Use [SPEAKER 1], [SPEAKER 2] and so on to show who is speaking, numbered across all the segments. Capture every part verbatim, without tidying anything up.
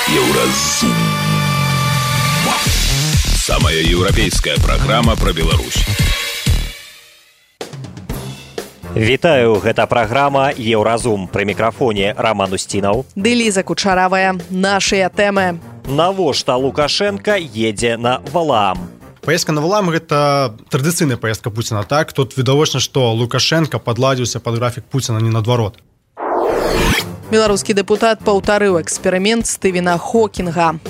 [SPEAKER 1] Еўразум. Самая еўрапейская праграма пра Беларусь.
[SPEAKER 2] Вітаю, гэта праграма «Еўразум». Пры мікрафоне Роман Устінаў.
[SPEAKER 3] Ды Ліза Кучаравая. Нашыя тэмы.
[SPEAKER 2] Навошта Лукашенко едзе на Валаам?
[SPEAKER 4] Паездка на Валаам – гэта традыцыйная паездка Пуціна, так? Тут відавочна, што Лукашенко падладзіўся пад графік Пуціна, не наадварот.
[SPEAKER 3] Беларускі дэпутат паўтарыў эксперымент Стывена Хокинга.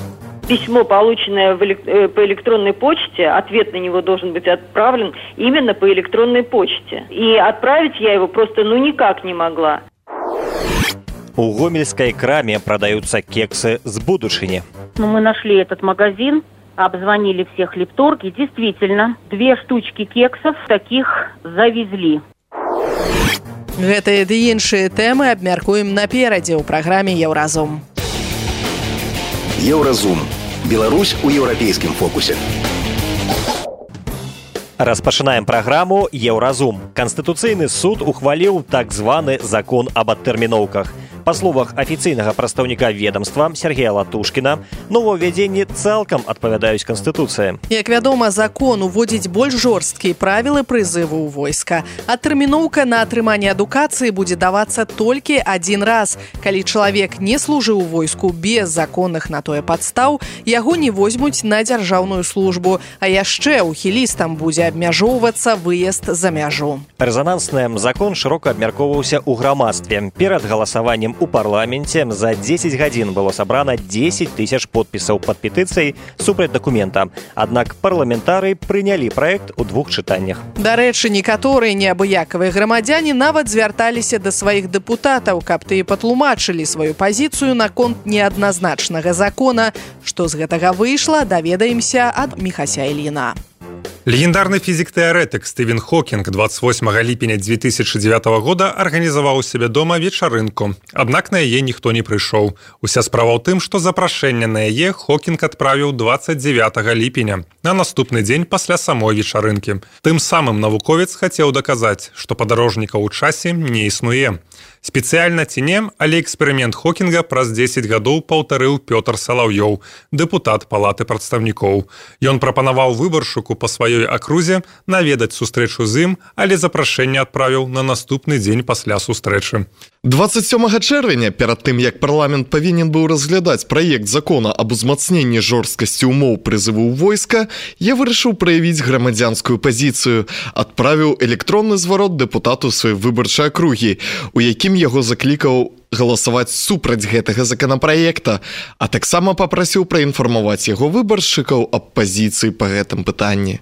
[SPEAKER 5] Письмо, полученное в элек- по электронной почте, ответ на него должен быть отправлен именно по электронной почте. И отправить я его просто ну никак не могла.
[SPEAKER 2] У гомельской краме продаются кексы с будущини.
[SPEAKER 6] Ну, мы нашли этот магазин, обзвонили всех хлебторг, и действительно, две штучки кексов таких завезли.
[SPEAKER 3] Гэтыя ды іншыя тэмы абмяркуем наперадзе ў праграме «Еўразум».
[SPEAKER 7] Еўразум. Беларусь у еўрапейскім фокусе.
[SPEAKER 2] Распачынаем праграму «Еўразум». Канстытуцыйны суд ухваліў так званы закон об адтэрміноўках. Па словах афіцыйнага прадстаўніка ведомства Сергея Латушкіна, новаўвядзенні цалкам адпавядаюць Канстытуцыі.
[SPEAKER 3] Як вядома, закон уводзіць больш жорсткія правілы прызыву ў войска. Адтэрміноўка на атрыманне адукацыі будзе давацца толькі адзін раз. Калі чалавек не служыў у войску без законных на тое падстаў, яго не возьмуць на дзяржаўную службу, а яшчэ ухілістам будзе абмяжоўвацца выезд за мяжу.
[SPEAKER 2] Рэзанансны закон шырока абмяркоўваўся ў грамадстве. Перад галасаваннем у парламенце за дзесяць гадзін было сабрана дзесяць тысяч подпісаў пад петыцыяй супраць дакумента. Аднак парламентары прынялі праект у двух чытаннях.
[SPEAKER 3] Дарэчы, некаторыя неабыякавыя грамадзяне нават звярталіся да сваіх дэпутатаў, каб тыя патлумачылі сваю пазіцыю наконт неадназначнага закона. Што з гэтага выйшла, даведаемся ад Міхася Ільіна.
[SPEAKER 8] Легендарны фізік-тэарэтык Стывен Хокінг двадцать восьмага ліпеня две тысячи девятого года арганізаваў у сябе дома вечарынку. Аднак на яе ніхто не прыйшоў. Уся справа ў тым, што запрашэнне на яе Хокінг адправіў двадцать девятого ліпеня, на наступны дзень пасля самой вечарынкі. Тым самым навуковец хацеў даказаць, што падарожнікаў у часе не існуе. Спецыяльна ці не, але эксперымент Хокінга праз дзесяць гадоў паўтарыў Пётр Салаўёў, дэпутат палаты прадстаўнікоў. Ён прапанаваў выбаршчыку па сваёй акрузе наведаць сустрэчу з ім, але запрашэнне адправіў на наступны дзень пасля сустрэчы.
[SPEAKER 9] двадцать сёмага чэрвеня, перад тым, як парламент павінен быў разглядаць праект закона аб узмацненні жорсткасці ўмоў прызыву ў войска, я вырашыў праявіць грамадзянскую пазіцыю, адправіў электронны зварот дэпутату сваёй выбарчай акругі, у якім яго заклікаў галасаваць супраць гэтага законапраекта, а таксама папрасіў праінфармаваць яго выбаршчыкаў аб пазіцыі па гэтым пытанні.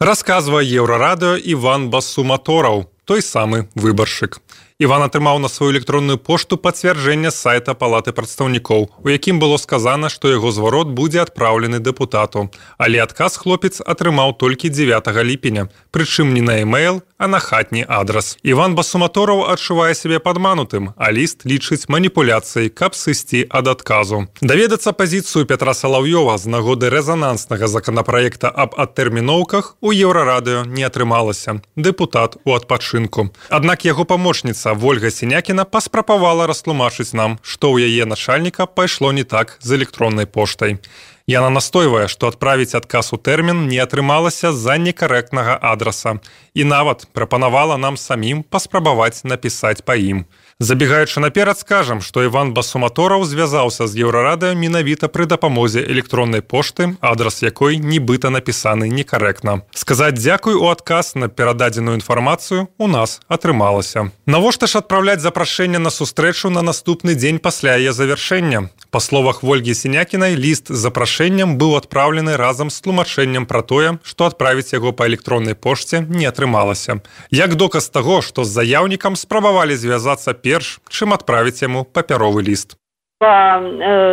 [SPEAKER 8] Расказвае Еўрарадыё Іван Басуматораў, той самы выбаршчык. Іван атрымаў на сваю электронную пошту пацвярджэнне сайта палаты прадстаўнікоў, у якім было сказана, што яго зварот будзе адпраўлены дэпутату. Але адказ хлопец атрымаў толькі дзевятага ліпеня, прычым не на e-mail, а на хатні адрас. Іван Басуматораў адчувае сябе падманутым, а ліст лічыць маніпуляцыяй, каб сысці ад адказу. Даведацца пазіцыю Пятра Салаўёва з нагоды рэзананснага законапраекта аб адтэрміноўках у Еўрарадыё не атрымалася. Дэпутат у адпачынку. Аднак яго памочніца Вольга Сінякіна паспрабавала растлумачыць нам, што ў яе начальніка пайшло не так з электроннай поштай. Яна настойвае, што адправіць адказ у тэрмін не атрымалася з-за некарэктнага адраса і нават прапанавала нам самім паспрабаваць напісаць па ім. Забегаючы наперад, скажам, што Іван Басуматораў звязаўся з Еўрарадыё менавіта пры дапамозе электроннай пошты, адрас якой нібыта напісаны некарэктна. Сказаць дзякуй у адказ на перададзеную інфармацыю у нас атрымалася. Навошта ж адпраўляць запрашэнне на сустрэчу на наступны дзень пасля яе завяршэння? Па словах Вольгі Сінякінай, ліст з запрашэннем быў адпраўлены разам з тлумачэннем пра тое, што адправіць яго па электроннай пошце не атрымалася. Як доказ таго, што з заяўнікам спрабавалі звязацца перш, чым отправить ему папяровый лист.
[SPEAKER 5] По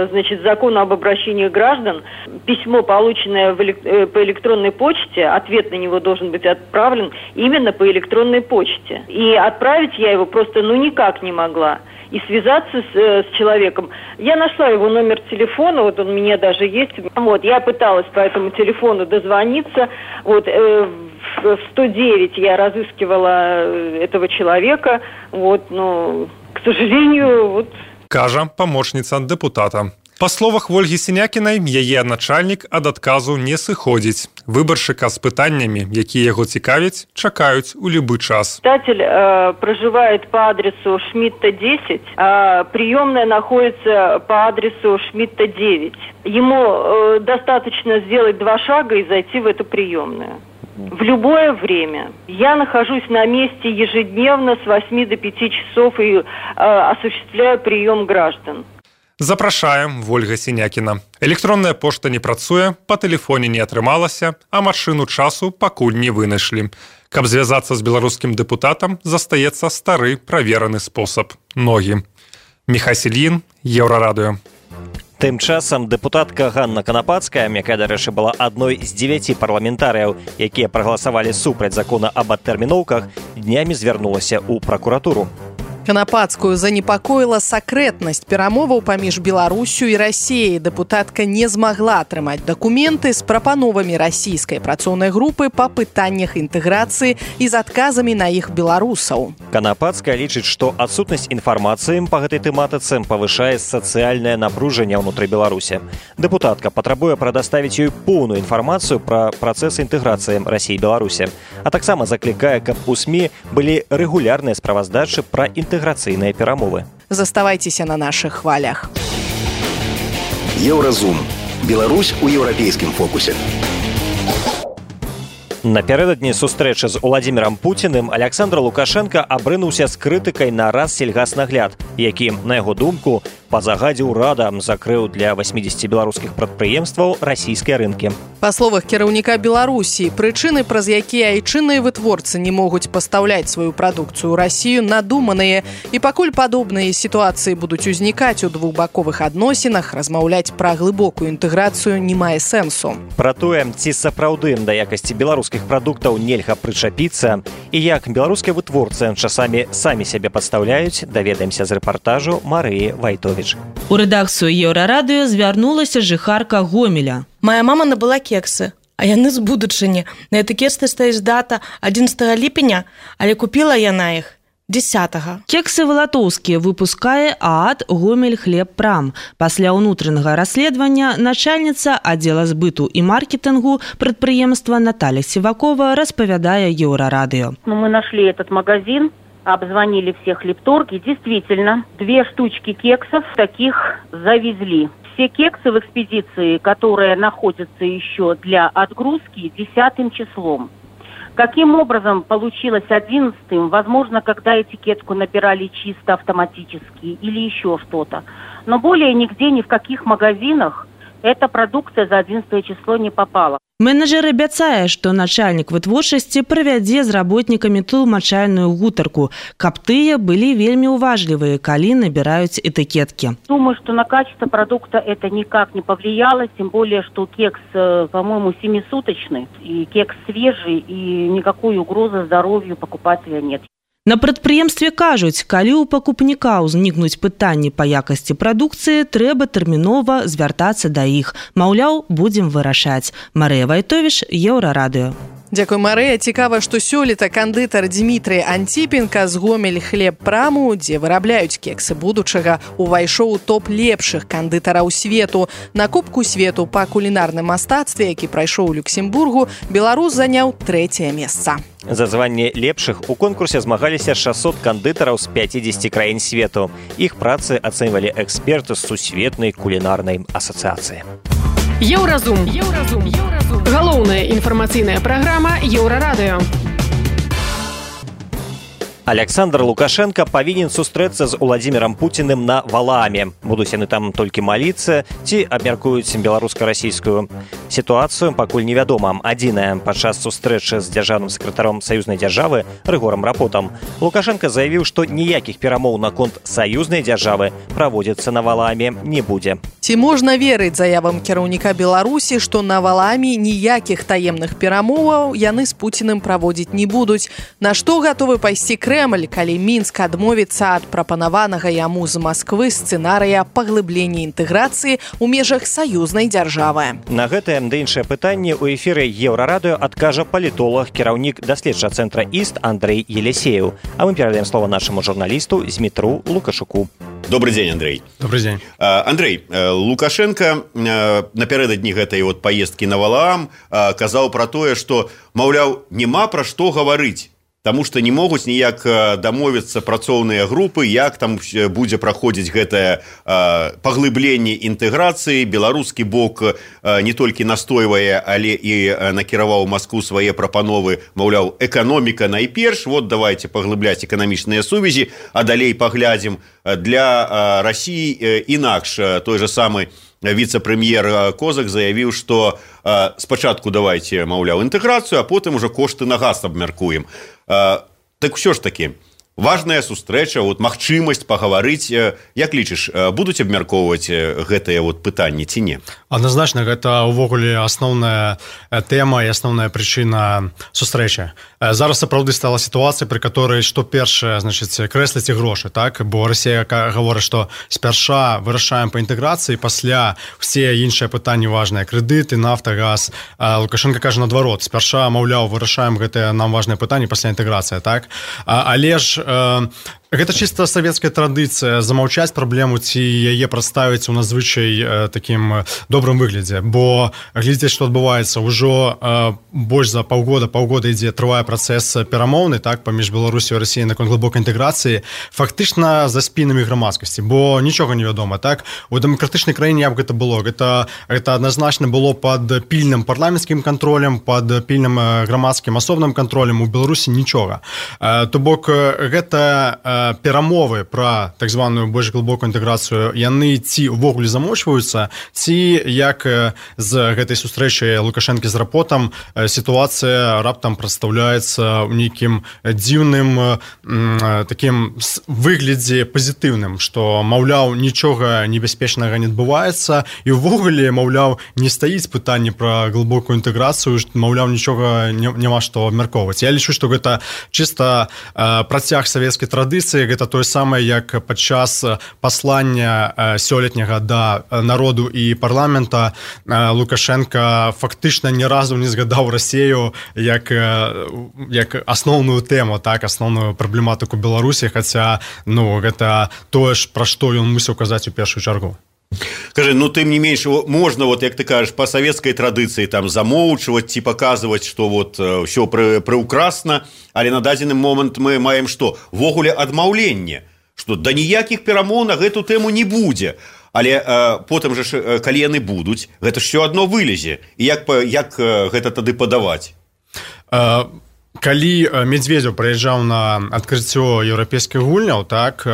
[SPEAKER 5] значит, закону об обращении граждан, письмо, полученное в элек- по электронной почте, ответ на него должен быть отправлен именно по электронной почте. И отправить я его просто ну никак не могла. И связаться с, с человеком. Я нашла его номер телефона, вот он у меня даже есть. Вот, я пыталась по этому телефону дозвониться. Вот, э, в сто девять я разыскивала этого человека. Вот, но, к сожалению, вот...
[SPEAKER 8] Кажа памочніца депутата. Па словах Вольгі Сінякінай, яе начальнік ад адказу не сыходзіць. Выбаршчыка з пытаннямі, якія яго цікавяць, чакаюць у любы час.
[SPEAKER 5] Читатель э, проживает по адресу Шмидта десять, а приемная находится по адресу Шмидта девять. Ему э, достаточно сделать два шага и зайти в эту приемную. В любое время. Я нахожусь на месте ежедневно с восьми до пяти часов и э, осуществляю прием граждан.
[SPEAKER 8] Запрашаем, Вольга Сінякіна. Электронная пошта не працуе, па тэлефоне не атрымалася, а машыну часу пакуль не вынайшлі. Каб звязацца з беларускім дэпутатам, застаецца стары правераны спосаб – ногі. Міхась Ільін, Еўрарадыё.
[SPEAKER 2] Тым часам дэпутатка Ганна Канапацкая, якая, дарэчы, была адной з дзевяці парламентарыяў, якія прагаласавалі супраць закона аб адтэрміноўках, днямі звярнулася ў пракуратуру.
[SPEAKER 3] Канапацкую занепакоіла сакрэтнасць перамоваў паміж Беларусю і Расіяй. Дэпутатка не змагла атрымаць дакументы з прапановамі расійскай працоўнай групы па пытаннях інтэграцыі і з адказамі на іх беларусаў.
[SPEAKER 2] Канапацкая лічыць, што адсутнасць інфармацыі па гэтай тэматыцы павышае сацыяльнае напружанне ўнутры Беларусі. Дэпутатка патрабуе прадаставіць ёй поўную інфармацыю пра працэс інтэграцыі Расіі і Беларусі, а таксама заклікае, каб у СМІ былі рэгулярныя справаздачы пра інтэграцыю інтэграцыйныя перамовы.
[SPEAKER 3] Заставайцеся на нашых хвалях.
[SPEAKER 7] Еўразум. Беларусь у еўрапейскім фокусе.
[SPEAKER 2] Напярэдадні сустрэчы з Уладзімірам Пуціным Аляксандр Лукашенка абрынуўся з крытыкай на Рассельгаснагляд, які, на яго думку, па загадзе ўрада закрыў для васьмідзесяці беларускіх прадпрыемстваў расійскія рынкі.
[SPEAKER 3] Па словах кіраўніка Беларусі, прычыны, праз якія айчынныя вытворцы не могуць пастаўляць сваю прадукцыю ў Расію, надуманыя. І пакуль падобныя сітуацыі будуць узнікаць у двухбаковых адносінах, размаўляць пра глыбокую інтэграцыю не мае сэнсу.
[SPEAKER 2] Пра тое, ці сапраўды да якасці беларускіх прадуктаў нельга прычапіцца і як беларускія вытворцы часамі самі сябе падстаўляюць, даведаемся з рэпартажу Марыі Вайтовіч.
[SPEAKER 10] У рэдакцыю Еўрарадыё звярнулася жыхарка Гомеля.
[SPEAKER 11] Моя мама набыла кексы, а яны з будучыні. На этыкетцы стаіць дата адзінаццатага ліпеня, але купіла яна іх дзесятага.
[SPEAKER 10] Кексы валатоўскія выпускае ААД «Гомель Хлебпрам». Пасля ўнутранага расследавання начальніца аддзела збыту і маркетингу прадпрыемства Наталья Сивакова распавядае Еўрарадыё.
[SPEAKER 6] Ну, мы нашли этот магазин, обзвонили все хлебторги. Действительно, две штучки кексов таких завезли. Все кексы в экспедиции, которые находятся еще для отгрузки, десятым числом. Каким образом получилось одиннадцатым? Возможно, когда этикетку набирали чисто автоматически или еще что-то. Но более нигде, ни в каких магазинах эта продукция за одиннадцатое число не попала.
[SPEAKER 10] Менеджер абяцае, што начальнік вытворчасці правядзе з работнікамі тлумачальную гутарку, каб тыя былі вельмі уважлівыя, калі набіраюць этикетки.
[SPEAKER 6] Думаю, что на качество продукта это никак не повлияло, тем более, что кекс, по-моему, семисуточный, и кекс свежий, и никакой угрозы здоровью покупателя нет.
[SPEAKER 10] На прадпрыемстве кажуць, калі ў пакупніка ўзнікнуць пытанні па якасці прадукцыі, трэба тэрмінова звяртацца да іх. Маўляў, будзем вырашаць. Марыя Вайтовіч, Еўрарадыё.
[SPEAKER 3] Дзякуй, Марыя. Цікава, што сёлета кандытар Дмітрый Антипенко з Гомель Хлебпраму, дзе вырабляюць кексы будучага, увайшоў у топ лепшых кандытараў свету. На Кубку свету па кулінарным мастацтве, які прайшоў у Люксембургу, беларус заняў трэцяе месца.
[SPEAKER 2] За званне лепшых у конкурсе змагаліся шэсцьсот кандытараў з пяцідзесяці краін свету. Іх працы ацэньвалі эксперты з сусветнай кулінарнай асацыяцыі.
[SPEAKER 12] Еўразум. Еўразум. Еўразум. Галоўная інфармацыйная праграма Еўрарадыё.
[SPEAKER 2] Аляксандр Лукашенко павінен сустрэцца з Уладзімірам Пуціным на Валааме. Будуць яны там толькі маліцца ці абмяркуюць беларуска-расійскую сітуацыю, пакуль невядома. Адзінае, падчас сустрэчы з дзяржаўным сакратаром саюзнай дзяржавы Рыгорам Рапотам Лукашенко заявіў, што ніякіх перамоў наконт саюзнай дзяржавы праводзіцца на Валааме не будзе.
[SPEAKER 3] Ці можна верыць заявам кіраўніка Беларусі, што на Валааме ніякіх таемных перамоваў яны з Пуціным праводзіць не будуць? На што гатовы пайсці Крэмль? Крэмль, калі Мінск адмовіцца ад прапанаванага яму з Масквы сцэнарыя паглыблення інтэграцыі ў межах саюзнай дзяржавы.
[SPEAKER 2] На гэтае да іншае пытанне ў эфіры Еўрарадыё адкажа палітолог, кіраўнік даследчага цэнтра ІСТ Андрей Елисеев. А мы перадаем слово нашаму журналісту Змітру Лукашуку.
[SPEAKER 13] Добрый день, Андрей.
[SPEAKER 4] Добрый день.
[SPEAKER 13] Андрей, Лукашенко напярэдадні гэтай вот поездкі на Валаам казаў пра тое, што, маўляў, няма пра што гаварыць, таму што не могуць ніяк дамовіцца працоўныя групы, як там будзе праходзіць гэтае паглыбленне інтэграцыі. Беларускі бок не толькі настойвае, але і накіраваў Маскву свае прапановы, маўляў, эканоміка найперш, вот давайте паглыбляць эканамічныя сувязі, а далей паглядзім. Для Расіі інакш. Той же самы віцэ-прэм'ер Козак заявіў, што э, спачатку давайте, маўляў, інтэграцыю, а потым уже кошты на газ абмяркуем. Э, так ўсё ж такі, важная сустрэча, вот, магчымасць пагаварыць. Як лічыш, будуць абмяркоўваць гэтыя вот пытанні ці не?
[SPEAKER 4] Адназначна, гэта ўвогуле асноўная тэма і асноўная прычына сустрэчы. Зараз сапраўды стала сітуацыя, пры которой што першае, значыць, крэсліць і грошы, так? Бо Расія гаворыць, што спярша вырашаем па інтэграцыі, пасля все іншыя пытанні важныя, крэдыты, нафта, газ. Лукашенко кажа наадварот, спярша, маўляў, вырашаем гэтыя нам важныя пытанні, пасля інтэграцыя, так? Але ж гэта чыста савецкая традыцыя замаўчаць праблему ці яе прадставіць у надзвычай такім добрым выглядзе, бо глядзець, што адбываецца, ўжо больш за паўгода паўгода ідзе трывае працэс перамоўны, так, паміж Беларусю і Расіяй наконт глыбокай інтэграцыі, фактычна за спінамі грамадскасці, бо нічога не вядома, так? У дэмакратычнай краіне як гэта было? Гэта, гэта адназначна было пад пільным парламенцкім кантролем, пад пільным грамадскім асобным кантролем. У Беларусі нічога. То бок гэта перамовы пра так званую больш глыбокую інтэграцыю, яны ці ўвогуле замочваюцца, ці як з гэтай сустрэчы Лукашэнкі з Рапотам сітуацыя раптам прадстаўляецца ў нейкім дзіўным такім выглядзе пазітыўным, што, маўляў, нічога небяспечнага не адбываецца і ўвогуле, маўляў, не стаіць пытанне пра глыбокую інтэграцыю, маўляў, нічога няма што абмяркоўваць. Я лічу, што гэта чыста працяг савецкай традыцыі, гэта тое самае, як падчас паслання сёлетняга да народу і парламента Лукашенко фактычна ні разу не згадаў Расію як, як асноўную тэму, так, асноўную праблематыку Беларусі, хаця, ну, гэта тое ж, пра што ён мусіў казаць у першую чаргу.
[SPEAKER 13] Скажи, ну тым не менш, можна, вот, як ты кажаш, па савецкай традыцыі там замоўчваць ці паказваць, што вот ўсё пры, прыўкрасна, але на дадзены момант мы маем што? Ввогуле адмаўленне, што да ніякіх перамоў на гэту тэму не будзе. Але э, потым жа, калі яны будуць, гэта ж ўсё адно вылезе. І як, як гэта тады падаваць?
[SPEAKER 4] Uh... Калі Медведзеў прыязджаў на адкрыццё еўрапейскіх гульняў, так,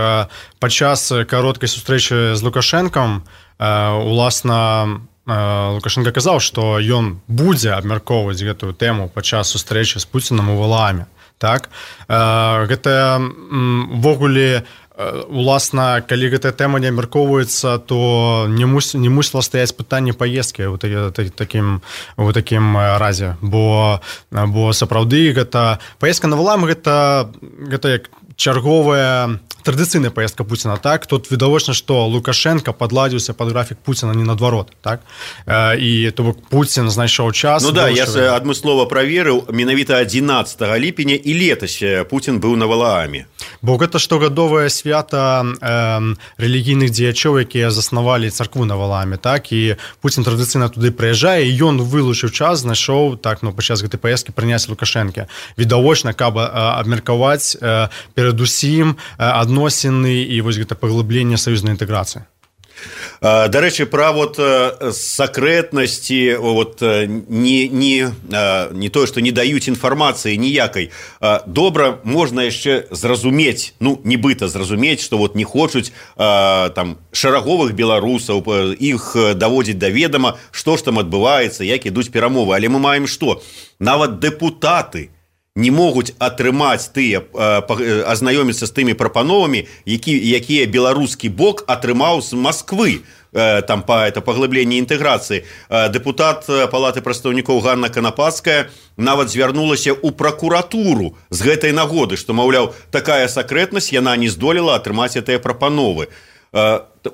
[SPEAKER 4] падчас кароткай сустрэчы з Лукашэнкам, уласна, Лукашенко казаў, што ён будзе абмяркоўваць гэтую тэму падчас сустрэчы з Пуцінам у Валааме. Так? Гэта ўвогуле, уласна, калі гэтая тэма не абмяркоўваецца, то не, мус, не мусіла стаяць пытанне паездкі ў такім, у такім разе, бо, бо сапраўды гэта паездка на Валаам, гэта, гэта як чарговая традыцыйная паездка Пуціна, так? Тут відавочна, што Лукашенко падладзіўся пад графік Пуціна не наадварот, так? І то бок Пуцін знайшоў час.
[SPEAKER 13] Ну да, я адмыслова праверыў, менавіта адзінаццатага ліпеня і летась Пуцін быў на Валааме.
[SPEAKER 4] Бо гэта штогадовае свята э, рэлігійных дзеячоў, якія заснавалі царкву на Валааме, так? І Пуцін традыцыйна туды прыязджае, і ён вылучыў час, знайшоў, так, ну, падчас гэтай паездкі прыняць Лукашэнка. Відавочна, каб абмеркаваць э, перадусім адносіны і вось гэта паглыбленне саюзнай інтэграцыі.
[SPEAKER 13] Дарэчы, пра вот сакрэтнасці, вот не, не, не тое, што не даюць інфармацыі ніякай. Добра можна яшчэ зразумець, ну, нібыта зразумець, што вот не хочуць там шараговых беларусаў, іх даводзіць да ведама, што ж там адбываецца, як ідуць перамовы. Але мы маем што? Нават дэпутаты не могуць атрымаць тыя, азнаёміцца з тымі прапановамі, які, якія беларускі бок атрымаў з Масквы. там по это паглыбленне інтэграцыі, дэпутат палаты прадстаўнікоў Ганна Канапацкая нават звярнулася ў пракуратуру з гэтай нагоды, што, маўляў, такая сакрэтнасць, яна не здолела атрымаць гэтыя прапановы.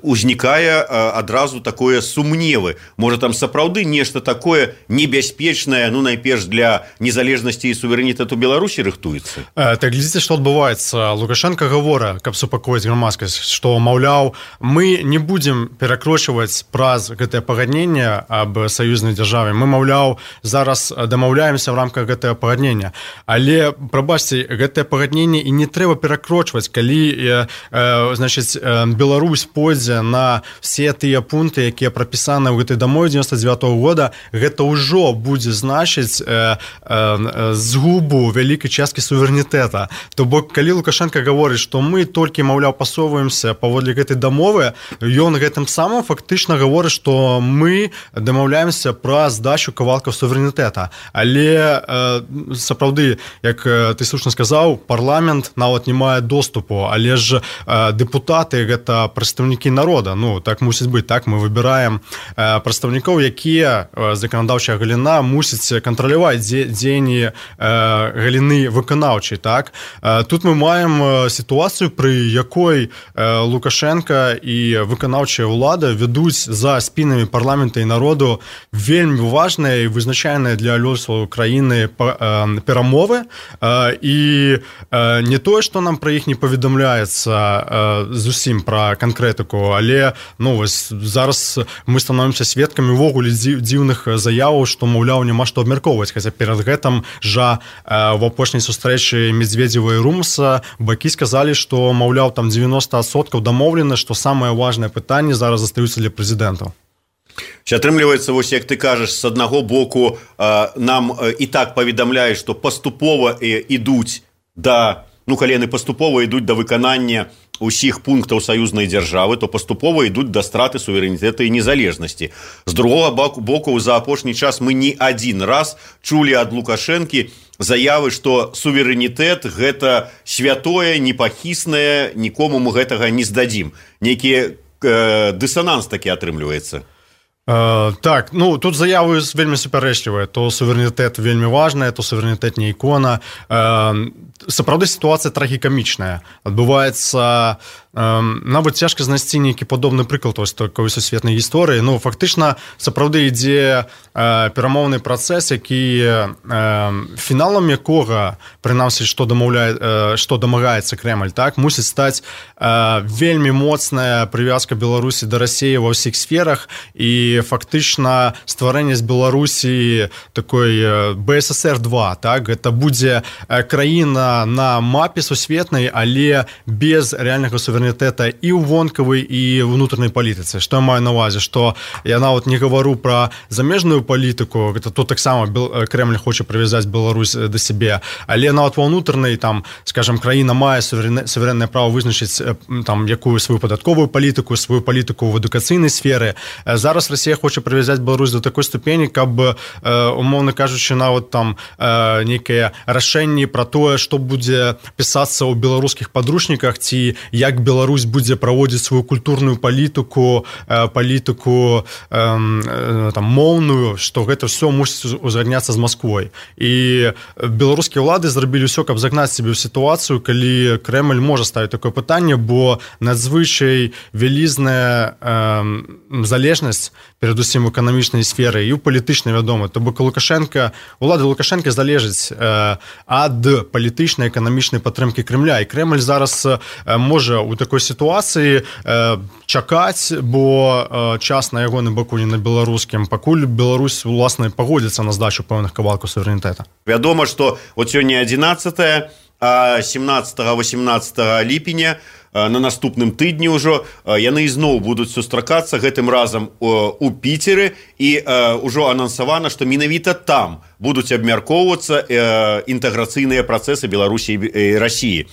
[SPEAKER 13] Узнікае адразу такое сумневы. Можа, там сапраўды нешта такое небяспечнае, ну, найперш для незалежнасці і суверэнітэту Беларусі рыхтуецца?
[SPEAKER 4] Так, глядзіце, што адбываецца. Лукашенко гаворыць, каб супакоіць грамадскасць, што, маўляў, мы не будзем перакрочваць праз гэтае пагадненне аб саюзнай дзяржаве. Мы, маўляў, зараз дамаўляемся ў рамках гэтага пагаднення. Але, прабачце, гэтае пагадненне і не трэба перакрочваць, калі, значыць, Беларусь пойдзе на все тыя пункты, якія прапісаны ў гэтай дамове дзевяносто девятого года, гэта ўжо будзе значыць э, э, згубу вялікай часткі суверэнітэта. То бок, калі Лукашенко гаворыць, што мы толькі, маўляў, пасоўваемся паводле гэтай дамовы, ён гэтым самым фактычна гаворыць, што мы дамаўляемся пра здачу кавалкаў суверэнітэта. Але э, сапраўды, як ты слушна сказаў, парламент нават не мае доступу, але ж э, дэпутаты гэта прадстаўнікі народа. Ну, так мусіць быць, так, мы выбіраем э, прадстаўнікоў, якія э, заканадаўчая галіна мусіць кантраляваць дзе, дзеянні э, галіны выканаўчай, так. Э, тут мы маем сітуацыю, пры якой э, Лукашенко і выканаўчая ўлада ведуць за спінамі парламента і народу вельмі важныя і вызначальныя для лёсу краіны э, перамовы, э, і э, не тое, што нам пра іх не паведамляецца э, зусім пра канкрэтыку, але, ну, вось зараз мы становімся сведкамі ўвогуле дзіўных заяваў, што, маўляў, няма што абмяркоўваць, хаця перад гэтым жа э, в апошняй сустрэчы Медведзева і Румса бакі сказалі, што, маўляў, там девяносто адсоткаў дамоўлена, што самае важнае пытанне зараз застаюцца для прэзідэнтаў.
[SPEAKER 13] Атрымліваецца, вось як ты кажаш, з аднаго боку э, нам э, і так паведамляюць, што паступова э, ідуць да, ну, калі яны паступова ідуць да выканання усіх пунктаў саюзнай дзяржавы, то паступова ідуць да страты суверэнітэта і незалежнасці. З другога боку, за апошні час мы не адзін раз чулі ад Лукашэнкі заявы, што суверэнітэт гэта святое, непахіснае, нікому мы гэтага не здадзім. Нейкі э, дысананс такі атрымліваецца.
[SPEAKER 4] Uh, так, ну, тут заявы вельмі супярэчлівыя. То суверэнітэт вельмі важная, то суверэнітэт не ікона. Uh, сапраўды сітуацыя трагікамічная. Адбываецца нават цяжка знайсці нейкі падобны прыклад вось такой сусветнай гісторыі. Ну, фактычна, сапраўды ідзе э, перамоўны працэс, які э, фіналам якога, прынамсі, што дамаўляе, э, што дамагаецца Крэмль, так, мусіць стаць э, вельмі моцная прывязка Беларусі да Расіі ва ўсіх сферах, і фактычна стварэнне з Беларусі такой э, бэ эс эс эр два, так, гэта будзе э, краіна на мапе сусветнай, але без рэальнага суверэнітэта і ў вонкавай, і ўнутранай палітыцы. Што я маю на ўвазе, што я нават не гавару пра замежную палітыку, гэта тут таксама Крэмль хоча прывязаць Беларусь да сябе, але нават ва ўнутранай, там, скажам, краіна мае суверэннае права вызначыць там якую сваю падатковую палітыку, сваю палітыку ў адукацыйнай сферы. Зараз Расія хоча прывязаць Беларусь до такой ступені, каб, умоўна кажучы, нават там нейкае рашэнне пра тое, што будзе пісацца ў беларускіх падручніках, ці як Беларусь Беларусь будзе праводзіць сваю культурную палітыку, палітыку там, моўную, што гэта ўсё мусіць узгадняцца з Масквой. І беларускія ўлады зрабілі ўсё, каб загнаць сябе ў сітуацыю, калі Крэмль можа ставіць такое пытанне, бо надзвычай вялізная э, залежнасць перадусім у эканамічнай сферы і ў палітычнай, вядома. То бок Лукашенко, улады Лукашенко залежаць э, ад палітычнай эканамічнай падтрымкі Крэмля. І Крэмль зараз э, можа ў такой сітуацыі э, чакаць, бо э, час на ягоным баку не на беларускім, пакуль Беларусь уласна пагодзіцца на здачу пэўных кавалкаў суверэнітэта.
[SPEAKER 13] Вядома, што от сёння адзінаццатае, а семнаццатага-восемнаццатага ліпеня на наступным тыдні ўжо яны ізноў будуць сустракацца, гэтым разам у Піцеры, і ўжо анансавана, што менавіта там будуць абмяркоўвацца інтэграцыйныя працэсы Беларусі і Расіі.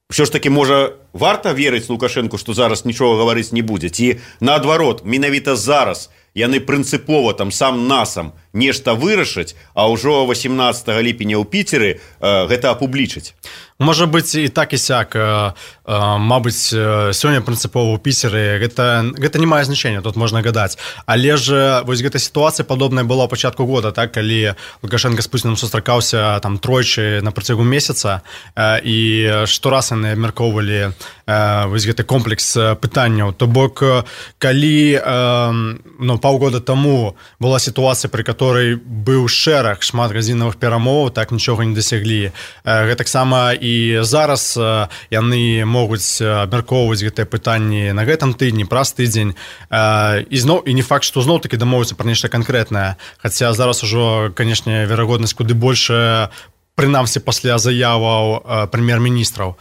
[SPEAKER 13] Ўсё ж такі, можа, варта верыць Лукашэнку, што зараз нічога гаварыць не будзе, ці наадварот, менавіта зараз яны прынцыпова там сам насам нешта вырашыць, а ўжо восемнадцатага ліпеня ў Піцеры гэта апублічыць.
[SPEAKER 4] Можа быць і так і сяк. Мабыць, сёння прынцыпова ў Піцеры гэта, гэта не мае значэння, тут можна гадаць. Але ж вось гэта сітуацыя падобная была ў пачатку года, так, калі Лукашенко з Пуцінам сустракаўся там тройчы на працягу месяца, і штораз яны абмяркоўвалі вось гэты комплекс пытанняў. То бок, калі ну, паўгода таму была сітуацыя, пры которой быў шэраг шмат гадзінавых перамоваў, так нічога не дасяглі. Гэтаксама і зараз яны могуць абмяркоўваць гэтыя пытанні на гэтым тыдні, праз тыдзень. І зноў, і не факт, што зноў-такі дамовіцца пра нешта канкрэтнае. Хаця зараз ужо, канешне, верагоднасць куды большая, прынамсі пасля заяваў прэм'ер-міністраў.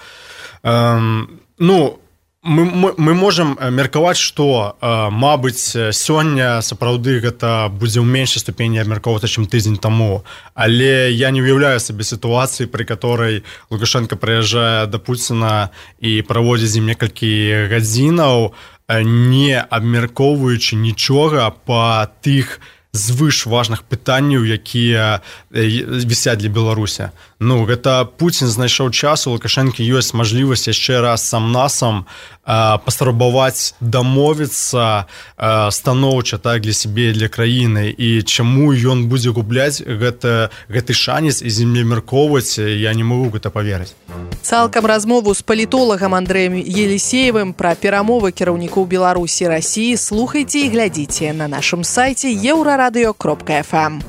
[SPEAKER 4] Ну, мы, мы, мы можам меркаваць, што, мабыць, сёння сапраўды гэта будзе ў меншай ступені абмяркоўвацца, чым тыдзень таму. Але я не уяўляю сабе сітуацыі, пры которой Лукашенко прыязджае да Пуціна і праводзіць з ім некалькі гадзінаў, не абмяркоўваючы нічога па тых звыш важных пытанняў, якія вісяць для Беларусі. Ну, гэта Пуцін знайшоў час, у Лукашэнкі ёсць мажлівасць яшчэ раз сам-насам паспрабаваць дамовіцца станоўча, так, для сябе і для краіны. І чаму ён будзе губляць гэта, гэты шанец і землемеркоўваць, я не магу гэта паверыць.
[SPEAKER 3] Цалкам размову з палітолагам Андрэем Елісеевым пра перамовы кіраўнікоў Беларусі і Расіі слухайце і глядзіце на нашым сайце еўрарадыё кропка эф эм.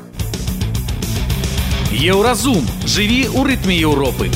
[SPEAKER 14] Еўразум. Жыві ў рытме Еўропы.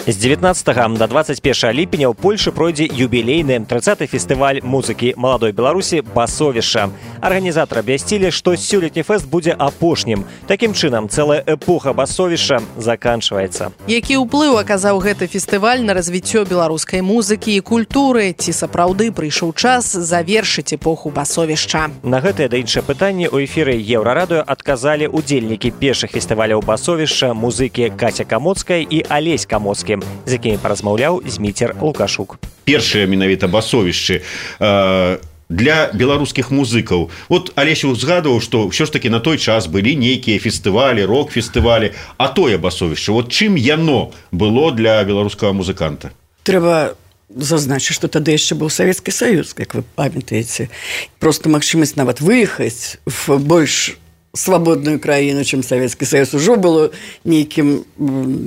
[SPEAKER 2] З дзевятнаццатага да дваццаць першага ліпеня ў Польшы пройдзе юбілейны трыццаты фестываль музыкі маладой Беларусі «Басовішча». Арганізатары абвясцілі, што сёлетні фэст будзе апошнім. Такім чынам, цэлая эпоха басовішча заканчваецца.
[SPEAKER 3] Які ўплыў аказаў гэты фестываль на развіццё беларускай музыкі і культуры? Ці сапраўды прыйшоў час завершыць эпоху басовішча?
[SPEAKER 2] На гэтыя да іншыя пытанні ў эфіры Еўрарадыё адказалі удзельнікі першых фестываляў басовішча, музыкі Каця Камоцкая і Алесь Камоцкі, з якімі паразмаўляў Зміцер Лукашук.
[SPEAKER 13] Першыя менавіта басовішчы э, для беларускіх музыкаў. Вот Алесь узгадываў, што ўсё ж такі на той час былі нейкія фестывалі, рок-фестывалі, а тое басовішча. Вот чым яно было для беларускага музыканта?
[SPEAKER 15] Трэба зазначыць, што тады яшчэ быў Савецкі Саюз, як вы памятаеце. Просто магчымасць нават выехаць в больш свабодную краіну, чым Савецкі Саюз, ужо было нейкім,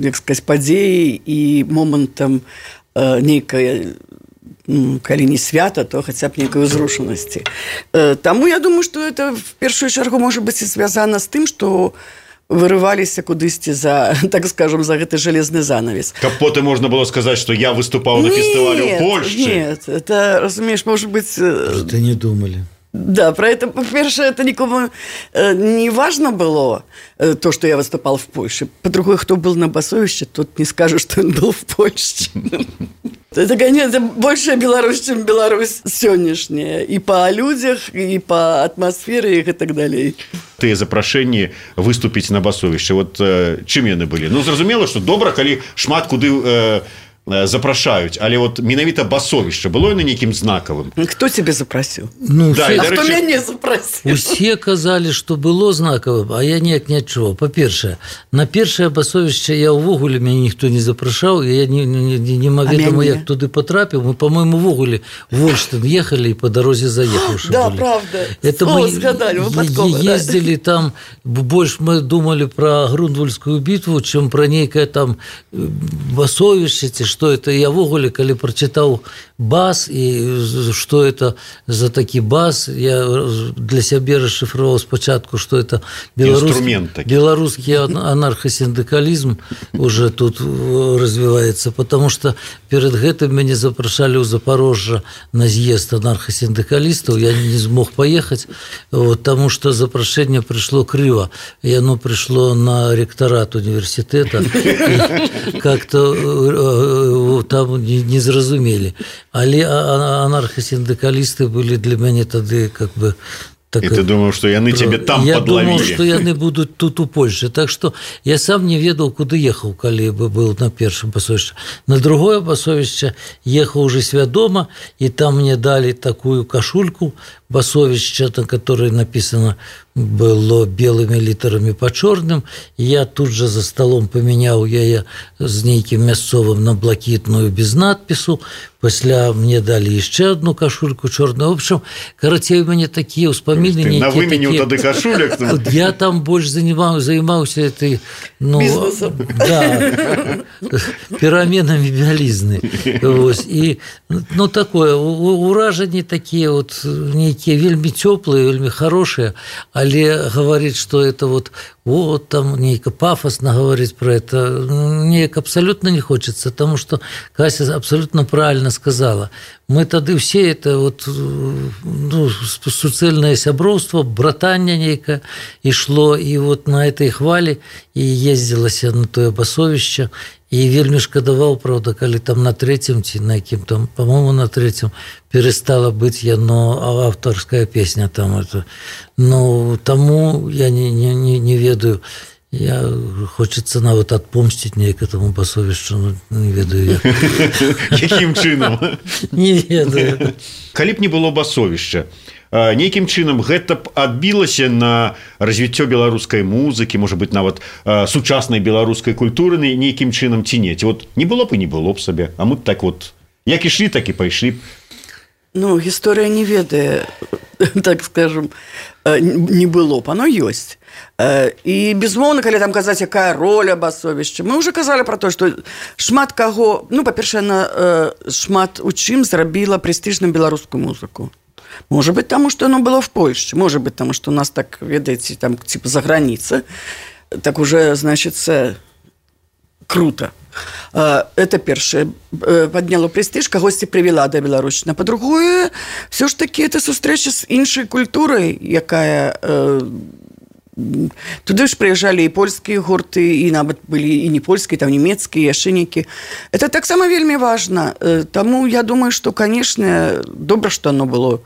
[SPEAKER 15] як сказаць, падзеяй і момантам э, нейкай, ну, калі не свята, то хаця б нейкай узрушанасці. Э, таму я думаю, што это в першую чаргу можа быць і звязана з тым, што вырываліся кудысьці за, так скажем, за гэты жалезны занавес.
[SPEAKER 13] Каб потым можна было сказаць, што я выступаў на фестывале ў Польшчы.
[SPEAKER 15] Нет, это, разумееш, может быть...
[SPEAKER 16] Просто не думали.
[SPEAKER 15] Да, про это, по-перше, это никому э, не важно было, э, то, что я выступал в Польше. По-другому, кто был на басовище, тот не скажет, что он был в Польше. Это, конечно, большая Беларусь, чем Беларусь сегодняшняя. И по людях, и по атмосфере, и так далее.
[SPEAKER 13] Тыя запрашэнні выступіць на басовішчы, вот э, чым яны былі? Ну, зразумела, што добра, калі шмат куды... Э, запрашаюць, але вот менавіта басовішча было на нейкім знакавым.
[SPEAKER 15] Хто тебе запросіў?
[SPEAKER 16] Ну,
[SPEAKER 15] да,
[SPEAKER 16] все...
[SPEAKER 15] А хто мяне запросіў?
[SPEAKER 16] Усе казалі, што было знакавым, а я неяк не адчуваў. Па-першае, на першае басовішча я ўвогуле мяне ніхто не запрашаў, я не, не, не, не ведама, як туды потрапіў. Мы, по-моему, ўвогуле в Ольштин ехали и по дорозе заехавши.
[SPEAKER 15] Да,
[SPEAKER 16] были.
[SPEAKER 15] правда.
[SPEAKER 16] Это
[SPEAKER 15] О,
[SPEAKER 16] мы
[SPEAKER 15] сгадали, выпадково,
[SPEAKER 16] ездили да. Там, больше мы думали про Грундвальскую битву, чем про некое там басовішча, что это. Я в огуле, когда прочитал бас, и что это за таки бас, я для себя расшифровал спочатку, что это белорусский, белорусский анархосиндикализм уже тут развивается, потому что перед гэтым меня запрашали у Запорожжа на съезд анархосиндикалистов, я не смог поехать, вот, потому что запрошение пришло криво, и оно пришло на ректорат университета, как-то там не, не зразумели. Але анархосиндикалисты были для меня тогда как бы... Так,
[SPEAKER 13] и ты думал, что яны тебе там
[SPEAKER 16] я
[SPEAKER 13] подловили?
[SPEAKER 16] Я думал, что яны будут тут у Польши. Так что я сам не ведал, куда ехал, коли бы был на первом басовище. На другое басовище ехал уже свядома, и там мне дали такую кошульку, басовішча, на которое написано было белыми літарамі па чорным. Я тут же за столом памяняў яе з нейкім мясцовым на блакітную без надпісу. Пасля мне далі яшчэ одну кашульку чорную. В общем, карацей, у мяне такія ўспаміны нейкія.
[SPEAKER 13] На выменю тады кашуляк?
[SPEAKER 16] Я там больш займаўся этой, ну,
[SPEAKER 15] бізнесам.
[SPEAKER 16] Да, пераменамі бялізны. Вось. І, ну, такое, уражанні такія вот нейкія вельмі цёплыя, вельмі хорошыя, але говорить, что это вот, вот там нейко пафосно говорить про это, неяк абсолютно не хочется, потому что Кася абсолютно правильно сказала. Мы тады все это вот, ну, суцэльнае сяброўство, братанне нейкае ішло, і вот на этой хвалі і ездзілася на тое басовішча. І вельмі шкадаваў, правда, калі там на трэцім ці на якім там, по-моему, на трэцім перестала быць яно аўтарская песня там это. Ну, таму я не, не, не ведаю. Я хочется нават адпомсціць неяк этому басовішчу, ну, не ведаю як.
[SPEAKER 13] Якім чынам?
[SPEAKER 16] Не ведаю.
[SPEAKER 13] Калі б не было басовішча, нейкім чынам гэта б адбілася на развіццё беларускай музыкі, можа быць, нават сучаснай беларускай культуры нейкім чынам ці не. Вот не было б і не было б сабе, а мы б так вот, як ішлі, так і пайшлі б.
[SPEAKER 15] Ну, гісторыя не ведае, так скажем, не было б, оно ёсць. І, безумоўна, калі там казаць, якая роля басовішча, мы ўжо казалі пра то, што шмат каго, ну, па-першае, шмат у чым зрабіла прэстыжную беларускую музыку. Может быть, потому что оно было в Польше. Может быть, потому что у нас так, видите, там, типа, за границей. Так уже, значит, круто. Это первое. Подняло престиж, когось привела до Беларусі. По-другое, все ж таки, это встреча с іншей культурой, якая... Туды ж прыязджалі і польскія гурты, і нават былі і не польскія, там нямецкія, яшчэ нейкія. Это таксама вельмі важна. Таму я думаю, што, канешне, добра, што оно было.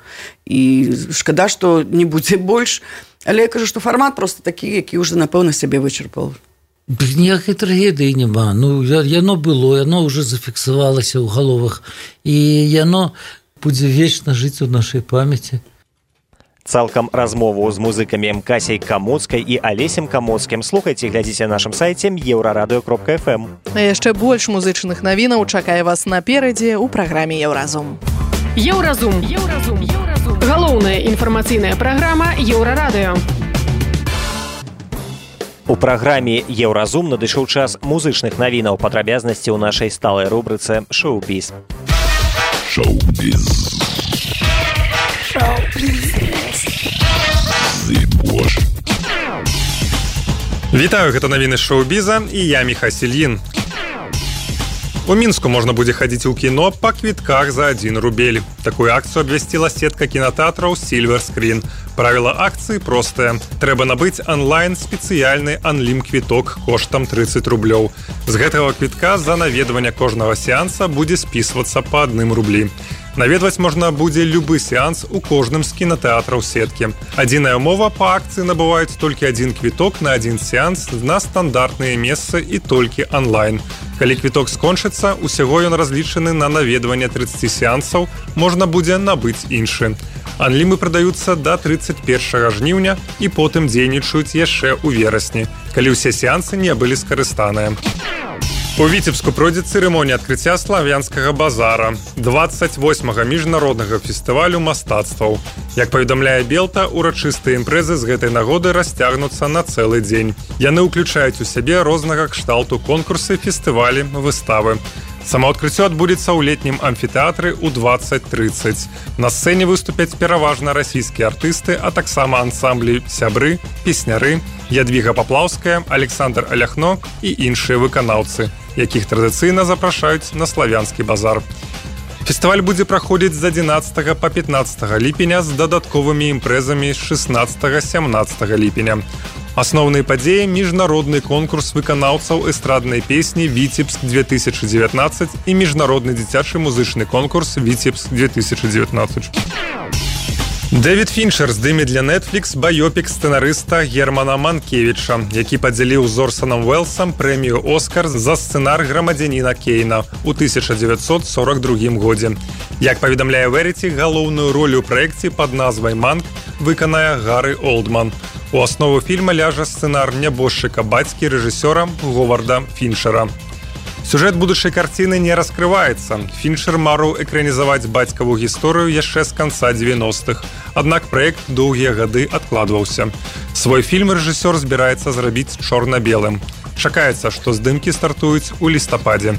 [SPEAKER 15] І шкада, што не будзе больш. Але я кажу, што фармат проста такі, які ўжо, напэўна, сябе вычарпаў.
[SPEAKER 16] Ніякай трагедыі няма. Ну, яно было, яно ўжо зафіксавалася ў галовах. І яно будзе вечна жыць у нашай памяці.
[SPEAKER 2] Цалкам размову з музыкамі Касяй Камоцкай і Алесем Камоцкім слухайце і глядзіце на нашым сайце еўрарадыё кропка эф эм.
[SPEAKER 3] А яшчэ больш музычных навінаў чакае вас наперадзе ў праграме Еўразум.
[SPEAKER 12] Еўразум. Еўразум. Еўразум. Галоўная інфармацыйная праграма Еўрарадыё.
[SPEAKER 2] У праграме Еўразум надышоў час музычных навінаў, падрабязнасці ў нашай сталай рубрыцы «Шоу-біз».
[SPEAKER 1] Шоу-біз.
[SPEAKER 8] Вітаю, гэта навіны шоу-біза і я Міха Сільін. У Мінску можна будзе хадзіць у кіно па квітках за адзін рубель. Такую акцыю абвясціла сетка кінатэатраў Silver Screen. Правіла акцыі простае. Трэба набыць онлайн спецыяльны анлім-квіток коштам трыццаць рублёў. З гэтага квітка за наведванне кожнага сеанса будзе спісвацца па адным рублі. Наведваць можна будзе любы сеанс у кожным з кінатэатраў сеткі. Адзіная ўмова, па акцыі набываюць толькі адзін квіток на адзін сеанс на стандартныя месцы і толькі онлайн. Калі квіток скончыцца, усяго ён разлічаны на наведванне трыццаць сеансаў, можна будзе набыць іншы. Анлімы прадаюцца да трыццаць першага жніўня і потым дзейнічаюць яшчэ ў верасні, калі ўсе сеансы не былі скарыстаныя. У Віцебску пройдзе цырымонія адкрыцця славянскага базара, дваццаць восьмага міжнароднага фестывалю мастацтваў. Як паведамляе Белта, урачыстыя імпрэзы з гэтай нагоды расцягнуцца на цэлы дзень. Яны ўключаюць у сябе рознага кшталту конкурсы, фестывалі, выставы. Самаадкрыццё адбудзецца ў летнім амфітэатры ў дваццаць трыццаць. На сцэне выступяць пераважна расійскія артысты, а таксама ансамблі «Сябры», «Песняры», Ядвіга Паплаўская, Александр Аляхно і іншыя выканаўцы, якіх традыцыйна запрашаюць на славянскі базар. Фестываль будзе праходзіць з адзінаццатага па пятнаццатага ліпеня з дадатковымі імпрэзамі з шэснаццатага-сямнаццатага ліпеня. Асноўныя падзеі – міжнародны конкурс выканаўцаў эстраднай песні «Віцебск две тысячи девятнадцать» і міжнародны дзіцячы музычны конкурс «Віцебск две тысячи девятнадцать». Дэвід Фінчер здыме для Netflix баёпік сцэнарыста Германа Манкевіча, які падзяліў з Орсонам Уэллсам прэмію «Оскар» за сцэнар «Грамадзяніна Кейна» ў тысяча дзевяцьсот сорок другім годзе. Як паведамляе Веріці, галоўную ролю ў праекце пад назвай «Манк» выканае Гары Олдман. У аснову фільма ляжа сцэнар нябожчыка бацькі рэжысёра Говарда Фінчера. Сюжэт будучай карціны не раскрываецца. Фінчер марыў экранізаваць бацькаву гісторыю яшчэ з канца дзевяностых. Аднак праект доўгія гады адкладваўся. Свой фільм рэжысёр збіраецца зрабіць чорна-белым. Чакаецца, што здымкі стартуюць у лістападзе.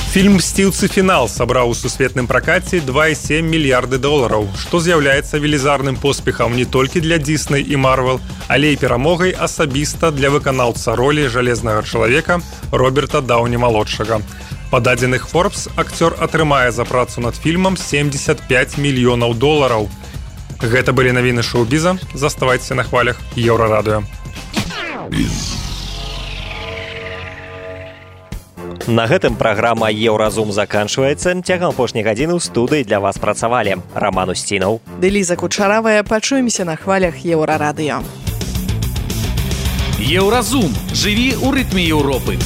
[SPEAKER 8] Фільм «Мсціўцы. Фінал» сабраў у сусветным пракаце два і сем мільярды долараў, што з'яўляецца велізарным поспехам не толькі для Disney і Marvel, але і перамогай асабіста для выканаўца ролі жалезнага чалавека Роберта Даўні-малодшага. Па дадзеных Forbes акцёр атрымае за працу над фільмам семьдесят пять мільёнаў долараў. Гэта былі навіны шоу-біза. Заставайцеся на хвалях Еўрарадыё.
[SPEAKER 2] На гэтым праграма «Еўразум» заканчваецца. Цягам апошняй гадзіны ў студыі для вас працавалі Раман Усцінаў.
[SPEAKER 3] Дэліза Кучаравая. Пачуемся на хвалях Еўрарадыё.
[SPEAKER 14] Еўразум. Жыві ў рытме Еўропы.